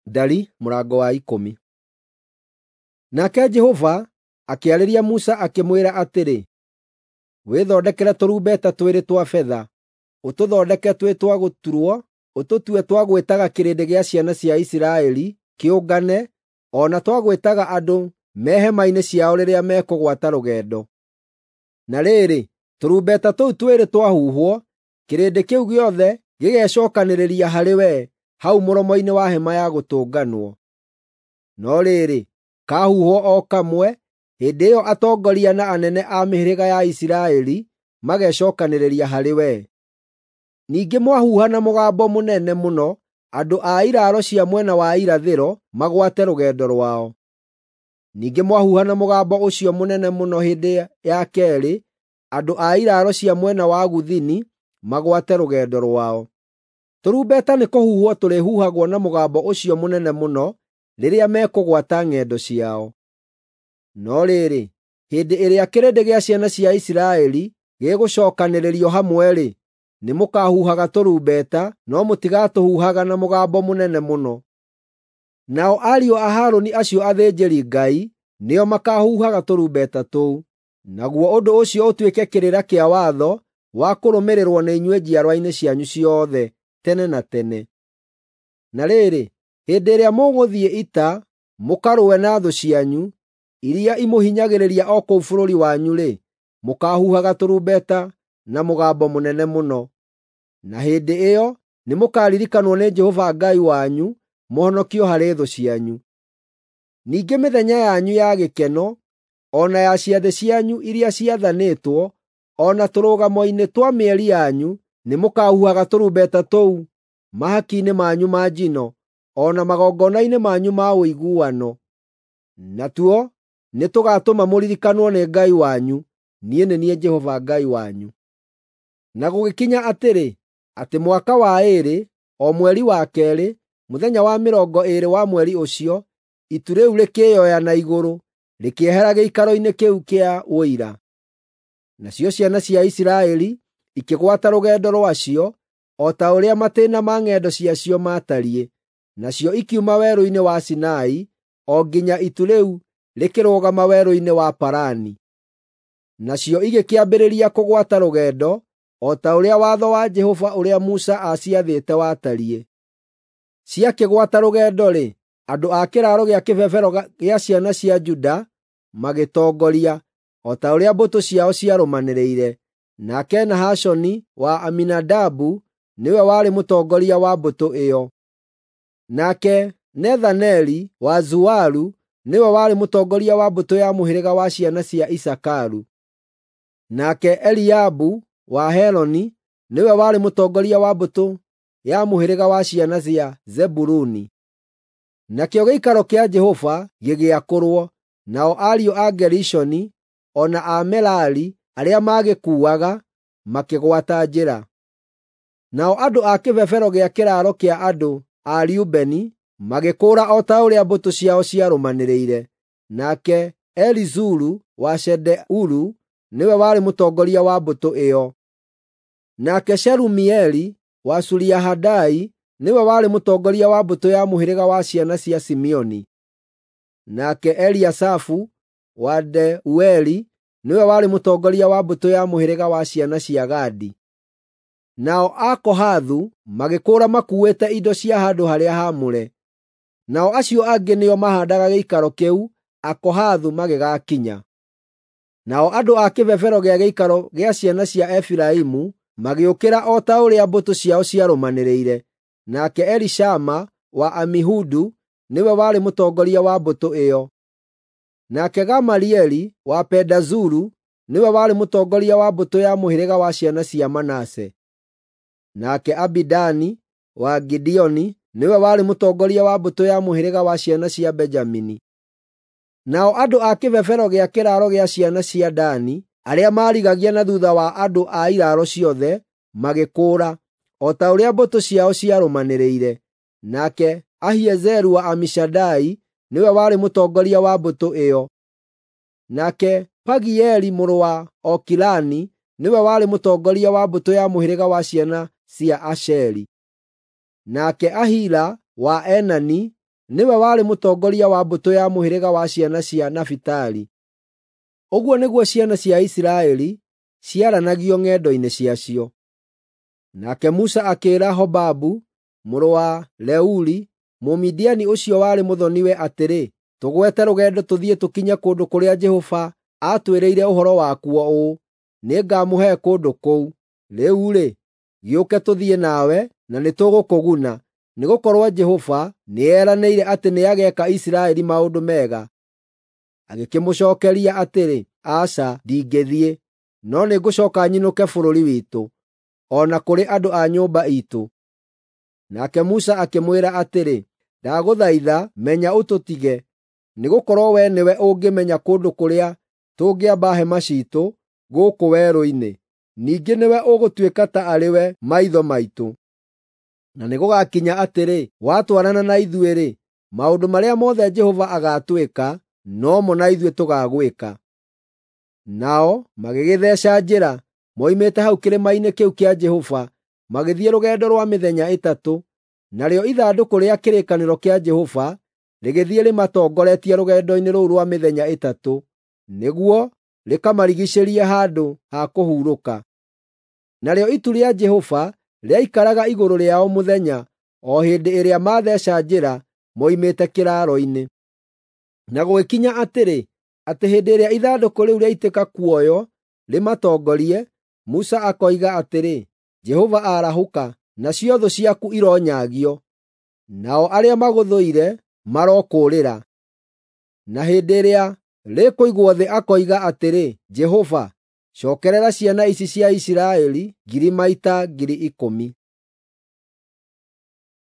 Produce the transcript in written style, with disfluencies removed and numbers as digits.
Ndari mũrango wa 10. Nake Jehova akĩarĩria Musa akĩmwĩra atĩrĩ, wĩthondekere tũrumbeta twĩrĩ twa betha, ũtũthondeke twĩ twa gũturwo, ũtũtue twa gwĩtaga kĩrĩndĩ gĩa ciana cia Isiraeli kĩũngane, o na twa gwĩtaga andũ me hema-inĩ ciao rĩrĩa mekũgwata rũgendo. Na rĩrĩ, tũrumbeta tũu twĩrĩ twahuhwo, kĩrĩndĩ kĩu gĩothe gĩgecookanĩrĩria harĩ we hau mũromo-inĩ wa hema ya gũtũnganwo. No rĩrĩ, kahuhwo o kamwe, hĩndĩ ĩyo atongoria na anene a mĩhĩrĩga ya Isiraeli magecookanĩrĩria harĩ we. Ningĩ mwahuha na mũgambo mũnene mũno, andũ a iraaro cia mwena wa irathĩro magwate rũgendo rwao. Ningĩ mwahuha na mũgambo ũcio mũnene mũno hĩndĩ ya keerĩ, andũ a iraaro cia mwena wa gũthini magwate rũgendo rwao. Tũrumbeta nĩkũhuhwo tũrĩhuhagwo na mũgambo ũcio mũnene mũno rĩrĩa mekũgwata ng'endo ciao. No rĩrĩ, hĩndĩ ĩrĩa kĩrĩndĩ gĩa ciana cia Isiraeli gĩgũcookanĩrĩrio hamwe-rĩ, nĩmũkahuhaga tũrumbeta, no mũtigatũhuhaga na mũgambo mũnene mũno. Nao ariũ a Harũni acio athĩnjĩri-Ngai nĩo makaahuhaga tũrumbeta tũu. Naguo ũndũ ũcio ũtuĩke kĩrĩra kĩa watho wa kũrũmĩrĩrwo nĩ inyuĩ njiarwa-inĩ cianyu ciothe tene na tene. Na rĩrĩ, hĩndĩ ĩrĩa mũgũthiĩ ita mũkarũe na thũ cianyu iria imũhinyagĩrĩria o kũu bũrũri wanyu-rĩ, mũkaahuhaga tũrumbeta na mũgambo mũnene mũno. Na hĩndĩ ĩyo nĩmũkaririkanwo nĩ Jehova Ngai wanyu mũhonokio harĩ thũ cianyu. Ningĩ mĩthenya yanyu ya gĩkeno, o na ya ciathĩ cianyu iria ciathanĩtwo, o na tũrũgamo-inĩ twa mĩeri yanyu, nĩmũkahuhaga tũrumbeta tũu mahaki-inĩ manyu ma njino, o na magongona-inĩ manyu ma ũiguano. Natuo nĩtũgatũma mũririkanwo nĩ Ngai wanyu. Niĩ nĩ niĩ Jehova Ngai wanyu. Na gũgĩkinya atĩrĩ, atĩ mwaka wa 2, o mweri wa 2, mũthenya wa 20 wa mweri ũcio, itu rĩu rĩkĩĩoya na igũrũ, rĩkĩehera gĩikaro-inĩ kĩu kĩa Ũira. Nacio ciana cia Isiraeli ikĩgwata rũgendo rwacio, o ta ũrĩa matĩĩna ma ng'endo ciacio maatariĩ. Nacio ikiuma werũ-inĩ wa Sinai o nginya itu rĩu rĩkĩrũgama werũ-inĩ wa Parani. Nacio igĩkĩambĩrĩria kũgwata rũgendo o ta ũrĩa watho wa Jehova ũrĩa Musa aaciathĩte watariĩ. Ciakĩgwata rũgendo-rĩ, andũ a kĩraaro gĩa kĩbebero gĩa ciana cia Juda magĩtongoria, o ta ũrĩa mbũtũ ciao ciarũmanĩrĩire. Nake Nahashoni wa Aminadabu nĩwe warĩ mũtongoria wa mbũtũ ĩyo. Nake Nethaneli wa Zuaru nĩwe warĩ mũtongoria wa mbũtũ ya mũhĩrĩga wa ciana cia Isakaru. Nake Eliabu wa Heloni nĩwe warĩ mũtongoria wa mbũtũ ya mũhĩrĩga wa ciana cia Zebuluni. Nakĩo gĩikaro kĩa Jehova gĩgĩakũrwo, nao ariũ a Gerishoni o na a Merari arĩa maagĩkuuaga makĩgwata njĩra. Nao andũ a kĩbebero gĩa kĩraaro kĩa andũ a Rubeni magĩkũũra o ta ũrĩa mbũtũ ciao ciarũmanĩrĩire. Nake Elizuru wa Shedeuru nĩwe warĩ mũtongoria wa mbũtũ ĩyo. Nake Shelumieli wa Suriahadai nĩwe warĩ mũtongoria wa mbũtũ ya mũhĩrĩga wa ciana cia Simeoni. Nake Eliasafu wa Deueli nĩwe warĩ mũtongoria wa mbũtũ ya mũhĩrĩga wa ciana cia Gadi. Nao Akohathu magĩkũũra makuuĩte indo cia handũ-harĩa-haamũre. Nao acio angĩ nĩo maahaandaga gĩikaro kĩu Akohathu magĩgakinya. Nao andũ a kĩbebero gĩa gĩikaro gĩa ciana cia Efiraimu magĩũkĩra o ta ũrĩa mbũtũ ciao ciarũmanĩrĩire. Nake Elishama wa Amihudu nĩwe warĩ mũtongoria wa mbũtũ ĩyo. Nake Gamalieli wa Pedazuru nĩwe warĩ mũtongoria wa mbũtũ ya mũhĩrĩga wa ciana cia Manase. Nake Abidani wa Gideoni nĩwe warĩ mũtongoria wa mbũtũ ya mũhĩrĩga wa ciana cia Benjamini. Nao andũ a kĩbebero gĩa kĩraaro gĩa ciana cia Dani arĩa maarigagia na thuutha wa andũ a iraaro ciothe magĩkũũra, o ta ũrĩa mbũtũ ciao ciarũmanĩrĩire. Nake Ahiezeru wa Amishadai nĩwe warĩ mũtongoria wa mbũtũ ĩyo. Nake Pagieli mũrũ wa Okirani nĩwe warĩ mũtongoria wa mbũtũ ya mũhĩrĩga wa ciana cia Asheri. Nake Ahira wa Enani nĩwe warĩ mũtongoria wa mbũtũ ya mũhĩrĩga wa ciana cia Nafitali. Ũguo nĩguo ciana cia Isiraeli ciaranagio ng'endo-inĩ ciacio. Nake Musa akĩĩra Hobabu mũrũ wa Reuli, Mũmidiani ũcio warĩ mũthoni-we atĩrĩ, “Tũgwete rũgendo tũthiĩ tũkinye kũndũ kũrĩa Jehova aatwĩrĩire ũhoro wakuo ũũ, ‘Nĩngamũhe kũndũ kũu.’ Rĩu-rĩ, gĩũke tũthiĩ nawe, na nĩtũgũkũguna, nĩgũkorwo Jehova nĩeranĩire atĩ nĩageeka Isiraeli maũndũ mega.” Agĩkĩmũcookeria atĩrĩ, “Aca, ndingĩthiĩ, no nĩngũcooka nyinũke bũrũri witũ, o na kũrĩ andũ a nyũmba iitũ.” Nake Musa akĩmwĩra atĩrĩ, “Ndagũthaitha menya ũtũtige, nĩgũkorwo wee nĩwe ũngĩmenya kũndũ kũrĩa tũngĩamba hema ciitũ gũkũ werũ-inĩ. Ningĩ nĩwe ũgũtuĩka ta arĩ we maitho maitũ. Na nĩgũgakinya atĩrĩ, watwarana na ithuĩ-rĩ, maũndũ marĩa mothe Jehova agaatwĩka, nomo na ithuĩ tũgaagwĩka.” Nao magĩgĩtheeca njĩra moimĩte hau kĩrĩma-inĩ kĩu kĩa Jehova, magĩthiĩ rũgendo rwa mĩthenya ĩtatũ, narĩo ithandũkũ rĩa kĩrĩkanĩro kĩa Jehova rĩgĩthiĩ rĩmatongoretie rũgendo-inĩ rũu rwa mĩthenya ĩtatũ, nĩguo rĩkamarigiicĩrie handũ ha kũhurũka. Narĩo itu rĩa Jehova rĩaikaraga igũrũ rĩao mũthenya, o hĩndĩ ĩrĩa maatheeca njĩra moimĩte kĩraaro-inĩ. Na gũgĩkinya atĩrĩ, atĩ hĩndĩ ĩrĩa ithandũkũ rĩu rĩaitĩka kuoywo rĩmatongorie, Musa akoiga atĩrĩ, “Jehova arahũka, nacio thũ ciaku ironyaagio, nao arĩa magũthũire marokũũrĩra.” Na hĩndĩ ĩrĩa rĩkũigwo thĩ akoiga atĩrĩ, “Jehova, cookerera ciana ici cia Isiraeli 10,000 maita 10,000.”